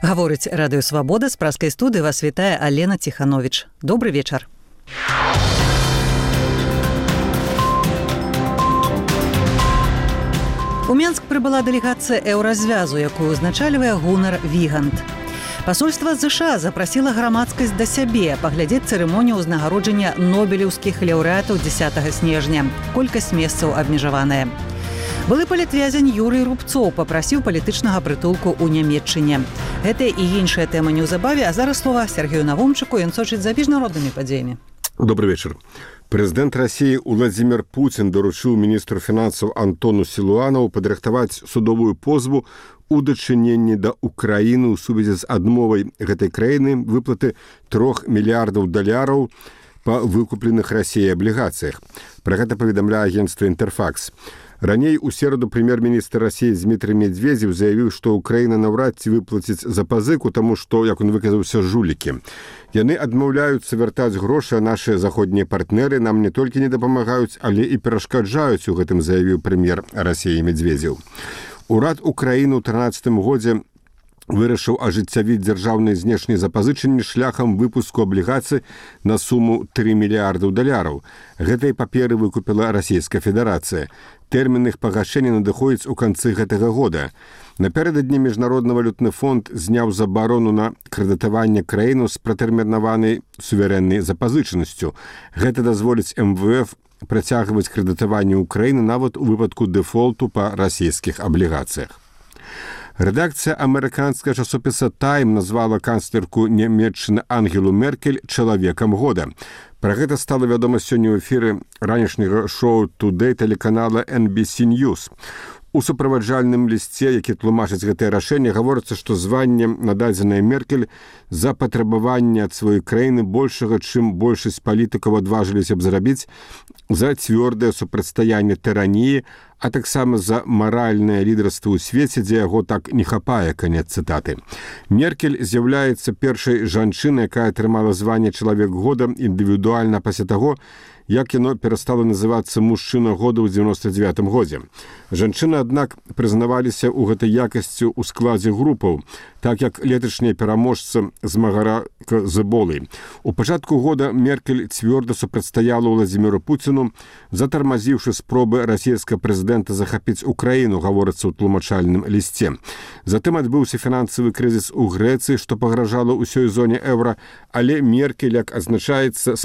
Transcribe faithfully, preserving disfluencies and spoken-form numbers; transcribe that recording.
Гаворыць радыё «Свабода», з праскай студыі вас вітае Алена Ціхановіч. Добры вечар. У Менск прыбыла дэлегацыя еўразвязу, якую узначальвае Гунар Вігант. Пасольства ЗША запрасіла грамадскасць да сябе паглядзець цырымонію ўзнагароджання нобелеўскіх лаўрэатаў дзесятага снежня. Колькасць месцаў абмежаваная. Былы палітвязень Юрый Рубцоў папрасіў палітычнага прытулку ў Нямецчыне. Гэта і іншая тэма неўзабаве, а зараз слова Сергею Навумчыку, ён сочыць за міжнароднымі падзеямі. Добрый вечер. Прэзідэнт Расіі Владзімір Пуцін даручыў міністру фінансаў Антону Сілуанаву падрыхтаваць судовую позву у дачыненні да Украіны ў сувязі з адмовай гэтай краіны выплаты трох мільярдаў даляраў па выкупленых Расіяй аблігацыях. Пра гэта паведамляе агенцтва «Інтэрфакс». Раней у сераду прэм'ер-міністр Расіі Дмітрый Медведзеў заявіў, што Украіна наўрад ці выплаціць запазыку, таму што, як он выказаўся, жулікі. Яны адмаўляюцца вяртаць грошы, а нашыя заходнія партнеры нам не толькі не дапамагаюць, але і перашкаджаюць у гэтым, заявіў прэм'ер Расіі Медведзеў. Урад Украіны ў трынаццатым годзе вырашыў ажыццявіць дзяржаўныя знешнія запазычанні шляхам выпуску аблігацый на суму тры мільярдаў даляраў. Гэтай паперы выкупіла Расійская Федэрацыя. Тэрмін іх пагашэння надыходзіць у канцы гэтага года. Напярэдадні Міжнародны валютны фонд зняў забарону на крэдытаванне краіну з пратэрмінаванай суверэннай запазычанасцю. Гэта дазволіць эм вэ эф працягваць крэдытаванне Украіны нават у выпадку дэфолту па расійскіх аблігацыях. Рэдакцыя амерыканскага часопіса «Тайм» назвала канцлерку Нямецчыны Ангелу Меркель чалавекам года. Пра гэта стала вядома сёння ў эфіры ранішняга шоу «Тудэй» тэлеканала эн би си News. У суправаджальным лісце, які тлумачыць гэтае рашэнне, гаворыцца, што званне нададзенае Меркель за патрабаванне ад сваёй краіны большага, чым большасць палітыкаў адважыліся б зрабіць, за цвёрдае супрацьстаянне тыраніі, а таксама за маральнае лідарства ў свеце, дзе яго так не хапае, канец цытаты. Меркель з'яўляецца першай жанчынай, якая атрымала званне чалавек года індывідуальна пасля таго, як яно перастала называцца мужчына года ў дзевяноста дзевятым годзе. Жанчыны, аднак, прызнаваліся ў гэтай якасці ў складзе групаў, так як леташняя пераможца змагарака з эболай. У пачатку года Меркель цвёрда супрацьстаяла Владзіміру Пуціну, затармазіўшы спробы расійскага прэзідэнта захапіць Украіну, гаворыцца ў тлумачальным лісце. Затым адбыўся фінансавы крызіс у Грэцыі, што пагражала ўсёй зоне еўра, але Меркель, як адзначаецца,